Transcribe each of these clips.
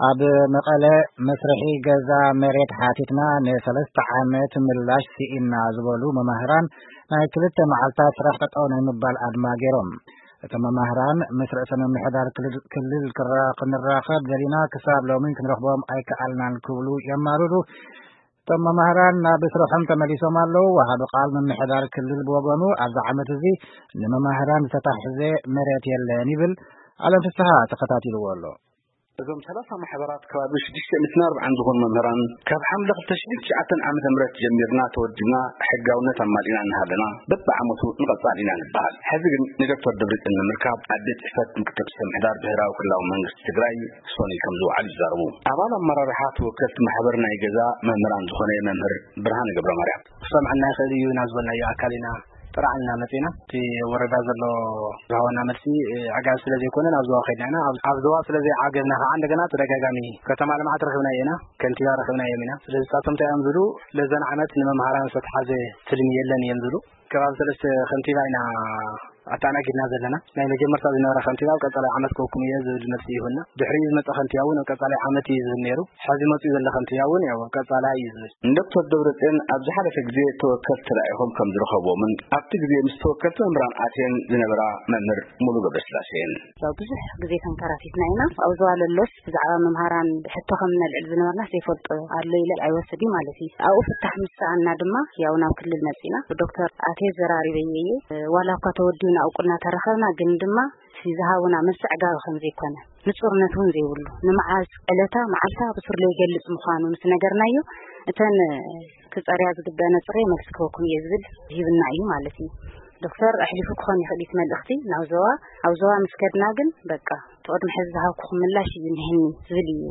ኣብ መቐለ መስርሒ ገዛ መሬት ሓቲትና ንሰለስተ ዓመት ምላሽ ስኢና ዝበሉ መማህራን ናይ ክልተ መዓልታት ስራሕ ጠጠው ናይ ምባል ኣድማ ገይሮም። እቶም መማህራን ምስ ርእሰ ምምሕዳር ክልል ክልል ክራ- ክንራኸብ ደሊና ክሳብ ሎሚ ክንረኽቦም ኣይከኣልናን ክብሉ የማርሩ። እቶም መማህራን ናብ ስርሖም ተመሊሶም ኣለዉ። ወሃቢ ቃል ምምሕዳር ክልል ብወገኑ ኣብዚ ዓመት እዚ ንመማህራን ዝተታሕዘ መሬት የለን ይብል። ኣለም ፍስሓ ተኸታቲልዎ ኣሎ። እዞም ሰላሳ ማሕበራት ከባቢ ሽዱሽተ ሚእትን ኣርባዓን ዝኾኑ መምህራን ካብ ሓምለ ክልተ ሽሕን ትሽዓተን ዓመተ ምህረት ጀሚርና ተወዲብና ሕጋውነት ኣማሊእና እናሃለና በብዓመቱ ንቐጻል ኢና ንበሃል። ሕዚ ግን ንዶክተር ደብረጽዮን ንምርካብ ኣብ ቤት ጽሕፈት ምክትል ርእሰ ምምሕዳር ብሄራዊ ክልላዊ መንግስቲ ትግራይ ሶኒ ከም ዝወዓሉ ይዛረቡ። ኣባል ኣመራርሓ ተወከልቲ ማሕበር ናይ ገዛ መምህራን ዝኾነ መምህር ብርሃነ ገብረ ማርያም። ክሰምዐና ይኽእል እዩ ናብ ዝበልናዮ ኣካል ኢና ጥራዕና መጺና። እቲ ወረዳ ዘሎ ዝሃበና መልሲ ዕጋብ ስለ ዘይኮነ ናብ ዞባ ከይድና ኢና። ኣብ- ኣብ ዞባ ስለ ዘይዓገብና ከዓ እንደገና ተደጋጋሚ ከተማ ልምዓት ረኺብናዮ ኢና፣ ከንቲባ ረኺብናዮም ኢና። ስለዚ ንሳቶም እንታይ እዮም ዝብሉ፣ ለዘን ዓመት ንመምሃራን ዝተትሓዘ ትልሚ የለን እዮም ዝብሉ። ከባቢ ሰለስተ ከንቲባ ኢና ኣተኣናጊድና ዘለና። ናይ መጀመርታ ዝነበረ ከንቲባ ኣብ ቀጻላይ ዓመት ክወኩም እየ ዝብል መልሲ ይሁንና። ድሕሪኡ ዝመጸ ከንቲባ እውን ኣብ ቀጻላይ ዓመት እዩ ዝብል ነይሩ። ሕዚ መጺኡ ዘሎ ከንቲባ እውን ያው ኣብ ቀጻላይ እዩ ዝብል። ንዶክተር ደብረጽዮን ኣብ ዝሓለፈ ግዜ ተወከልቲ ተላኢኾም ከም ዝረኸብዎምን ኣብቲ ግዜ ምስ ተወከልቲ መምህራን ኣትየን ዝነበራ መምህር ሙሉ ገብረስላሴ እየን። ያው ብዙሕ ግዜ ተንከራቲትና ኢና። ኣብ ዞባ ለሎስ ብዛዕባ መምሃራን ሕቶ ከም ነልዕል ዝነበርና ዘይፈልጦ ኣሎ ኢለ ኣይወስድ እዩ ማለት እዩ። ኣብኡ ፍታሕ ምስ ሰኣና ድማ ያው ናብ ክልል መጺና። ዶክተር ኣትየ ዘራሪበየ እየ። ዋላ እኳ ተወዲኡና እውቅና ተረኸብና፣ ግን ድማ እቲ ዝሃቡና መልሲ ዕጋቢ ከም ዘይኮነ፣ ንጹርነት እውን ዘይብሉ፣ ንመዓዝ ዕለታ መዓልታ ብሱር ዘይገልጽ ምዃኑ ምስ ነገርናዮ፣ እተን ክጸርያ ዝግበአነ ጽሬ መልሲ ክበኩም እየ ዝብል ሂብና እዩ ማለት እዩ። ዶክተር ኣሕሊፉ ክኾን ይኽእል እዩ እቲ መልእኽቲ ናብ ዞባ። ኣብ ዞባ ምስ ከድና ግን በቃ እቲ ቅድሚ ሕዚ ዝሃብኩኹም ምላሽ እዩ እኒሀኒ ዝብል እዩ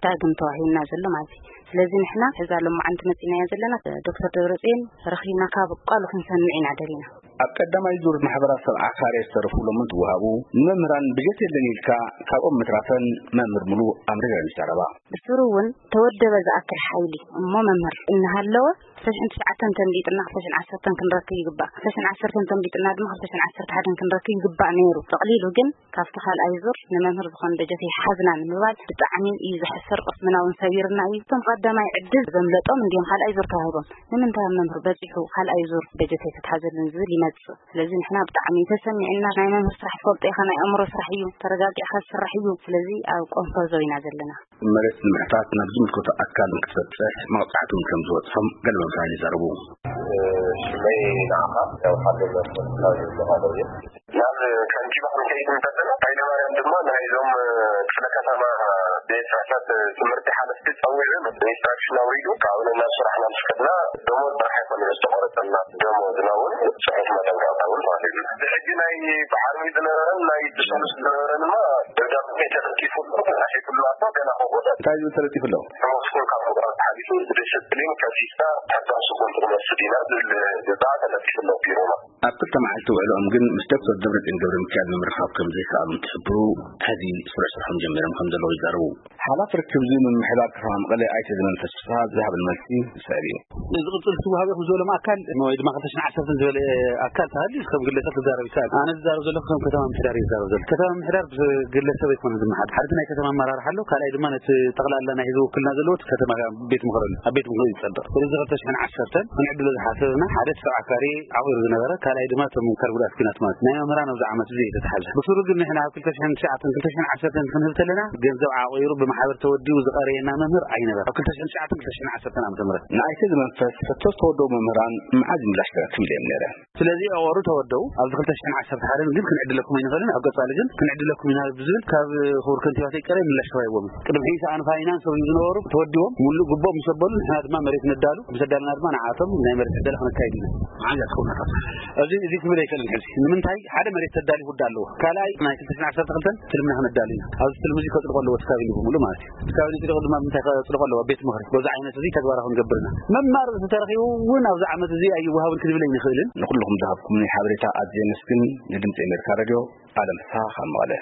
ዳግም ተዋሂብና ዘሎ ማለት እዩ። ስለዚ ንሕና ሕዛ ሎማዓንቲ መጺናዮ ዘለና ዶክተር ደብረጽዮን ረኺብና ካብ ቃሉ ክንሰምዕ ኢና ደሊና። ኣብ ቀዳማይ ዙር ማሕበራት ሰብዓ ካሬ ዝተረፉ ሎም እንትወሃቡ ንመምህራን በጀት የለን ኢልካ ካብኦም ምትራፈን መምህር ሙሉ ኣምሪረን ይዛረባ። ብስሩ እውን ተወደበ ዝኣክል ሓይሊ እሞ መምህር እናሃለወ ክልተ ሽሕን ትሽዓተን ተንቢጥና ክልተ ሽሕን ዓሰርተን ክንረክብ ይግባእ። ክልተ ሽሕን ዓሰርተን ተንቢጥና ድማ ክልተ ሽሕን ዓሰርተ ሓደን ክንረክብ ይግባእ ነይሩ። ጠቕሊሉ ግን ካብቲ ካልኣይ ዙር ንመምህር ዝኾን በጀት ይሓዝና ንምባል ብጣዕሚ እዩ ዘሕፍር። ቅስምና እውን ሰቢርና እዩ። እቶም ቀዳማይ ዕድል ዘምለጦም እንዲዮም ካልኣይ ዙር ተዋሂቦም። ንምንታይ ኣብ መምህር በፂሑ ካልኣይ ዙር በጀት ኣይተትሓዘሉን ዝብል ይመፅእ። ስለዚ ንሕና ብጣዕሚ ተሰሚዕና። ናይ መምህር ስራሕ ትፈልጦ ኢኻ፣ ናይ ኣእምሮ ስራሕ እዩ፣ ተረጋጊዕካ ዝስራሕ እዩ። ስለዚ ኣብ ቆንፈዞ ኢና ዘለና። መሬት ንምሕታት ናብ ዝምልከቶ ኣካል ንክትበፅሕ መቕፃዕቲ እውን ከም ዝበፅሖም ገለ መምህራን ይዛረቡ። ሽመይ ንዓኻ ያው ሓደ መምህር ካብ ዝበሃሎ እየ። ናብ ከንቲባ ክንከይድ እንተለና፣ ሃይለማርያም ድማ ናይዞም ክፍለ ከተማ ቤት ጽሕፈት ትምህርቲ ሓለፍቲ ጸዊዑ ኢንስትራክሽን ኣውሪዱ፣ ካብኡ ናብ ስራሕና ምስ ከድና ደሞዝ ጥራሕ ኣይኮነን ዝተቆረጸና፣ ደሞዝና እውን ጽሑፍ መጠንቀቕታ እውን ተዋሂብና። ብሕጂ ናይ ብዓርቢ ዝነበረን ናይ ብሰሉስ ዝነበረን ድማ ደብዳቤ ተለጢፉ ኣሎ፣ ተጻሒፉ ኣሎ፣ ገና ከውዕሎ። እንታይ ዝብል ተለጢፉ ኣሎ? ደሞዝኩም ካብ ምቁራጽ ሓሊፉ ብዲስፕሊን ከሲስና ሕጋዊ ስጉምቲ ክንወስድ ኢና ዝብል ግዛዕ ተለጢፉ ኣሎ ቢሮና። ኣብ ክልተ መዓልቲ ውዕልኦም ግን ምስ ዶክተር ደብረጽዮን ገብረ ሚካኤል ንምርኻብ ከም ዘይከኣሉ እንትሕብሩ፣ ሕዚ ስሩዕ ስርሖም ጀሚሮም ከም ዘለዉ ይዛረቡ። ሓላፊ ርክብ ዝብል ምምሕዳር ከተማ መቐለ ኣይተ ዘመንፈስ ፍስሃ ዝሃበን መልሲ ዝስዕብ እዩ። ዝቕጽል ትወሃብ ኢኹም ዝበሎም ኣካል ወይ ድማ ክልተ ሽሕን ዓሰርተን ዝበለ ኣካል ተሃልዩ ከም ግለሰብ ክዛረብ ይከኣል። ኣነ ዝዛረብ ዘለኹ ከም ከተማ ምምሕዳር እዩ ዝዛረብ ዘሎ። ከተማ ምምሕዳር ብግለሰብ ኣይኮነን ዝመሓደር። ሓደ ናይ ከተማ ኣመራርሓ ኣሎ፣ ካልኣይ ድማ ነቲ ጠቕላላ ናይ ህዝቢ ውክልና ዘለዎ እቲ ከተማ ቤት ምኽሪ ኣሎ። ኣብ ቤት ምኽሪ እዩ ዝጸድቕ። ስለዚ ክልተ ሽሕን ዓሰርተን ክንዕድሎ ዝሓሰብና ሓደ ሰብዓ ካሬ ዓቑሩ ዝነበረ፣ ካልኣይ ድማ እቶም ኣካል ጉድኣት ኲናት ማለት ናይ መምህራን ኣብዚ ዓመት እዚ የተትሓዘ። ብስሩ ግን ንሕና ኣብ ክልተ ሽሕን ትሽዓተን ክልተ ሽሕን ዓሰርተን ክንህብ ከለና ገንዘብ ዓቑሩ ብማሕበር ተወዲቡ ዝቐረየና መምህር ኣይነበረ። ኣብ ክልተ ሽሕን ትሽዓተን ክልተ ሽሕን ዓሰርተን ዓመተ ምህረት ንኣይተ ዝመንፈስ ሕቶ ዝተወደቡ መምህራን መዓዝ ምላሽ ክረክብ ኢለ እዮም ነይረ። ስለዚ ኣዋሩ ተወደቡ። ኣብዚ ክልተ ሽሕን ዓሰርተ ሓደን ግን ክንዕድለኩም ኣይንኽእልን፣ ኣብ ቀጻሊ ግን ክንዕድለኩም ኢና ብዝብል ካብ ክቡር ከንቲባ ተይቀረ ምላሽ ተዋሂቦምን። ቅድሚ ሕጂ ሰኣን ፋይናንስ እዮም ዝነበሩ ተወዲቦም ሙሉእ ግቦም ምስ ኣበሉ ንሕና ድማ መሬት ነዳሉ፣ ምስ ኣዳልና ድማ ንዓቶም ናይ መሬት ዕደላ ክነካይድ ኢና። መዓዝ እያ ትኸውን እታ? እዚ፣ እዚ ክብል ኣይክእልን ሕዚ። ንምንታይ? ሓደ መሬት ተዳሊ ጉዳ ኣለዎ። ካልኣይ ናይ ክልተ ሽሕን ዓሰርተ ክልተን ትልምና ክነዳሉ ኢና። ኣብዚ ትልሚ እዚ ከጽድቆ ኣለዎ እቲ ካቢኔ ብምሉእ ማለት እዩ። እቲ ካቢኔ ጽድቁ ድማ ምንታይ ከጽድቆ ኣለዎ? ቤት ምኽሪ። በዚ ዓይነት እዚ ተግባራዊ ክንገብር ኢና። መማረፂ ተረኺቡ እውን ኣብዚ ዓመት እዚ ኣይወሃብን ክንብል ኣይንኽእልን። ንኹልኹም ዝሃብኩምኒ ሓበሬታ ኣዝየ የመስግን። ንድምፂ ኣሜሪካ ሬድዮ ኣለም ፍስሃ ካብ መቐለ።